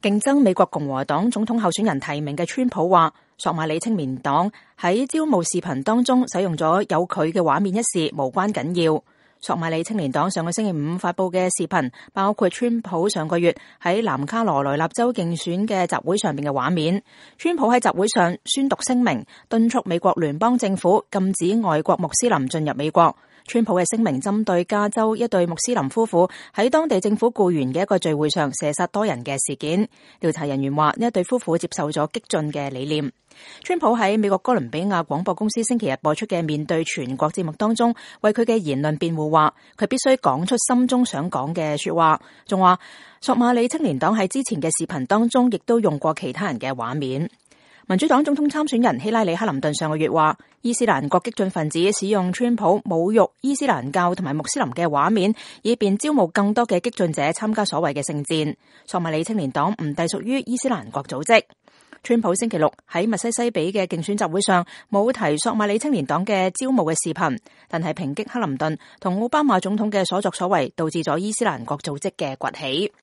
競爭美國共和黨總統候選人提名嘅川普話，索馬里青年黨喺招募視頻當中使用咗有佢嘅畫面一事無關緊要。索馬里青年黨上個星期五發佈嘅視頻，包括川普上個月喺南卡羅來納州競選嘅集會上面嘅畫面。川普喺集會上宣讀聲明，敦促美國聯邦政府禁止外國穆斯林進入美國。川普嘅聲明針對加州一對穆斯林夫婦喺當地政府僱員嘅一個聚會上射殺多人嘅事件。調查人員話，呢一對夫婦接受咗激進嘅理念。川普喺美國哥倫比亞廣播公司星期日播出嘅面對全國節目當中，為佢嘅言論辯護，話佢必須講出心中想講嘅說話，仲話索馬里青年黨喺之前嘅視頻當中亦都用過其他人嘅畫面。民主黨總統參選人希拉里克林頓上個月話，伊斯蘭國激進分子使用川普侮辱伊斯蘭教同埋穆斯林嘅畫面，以便招募更多嘅激進者參加所謂嘅聖戰。索馬里青年黨唔隸屬於伊斯蘭國組織。川普星期六喺密西西比嘅競選集會上冇提索馬里青年黨嘅招募嘅視頻，但係抨擊克林頓同奧巴馬總統嘅所作所為，導致咗伊斯蘭國組織嘅崛起。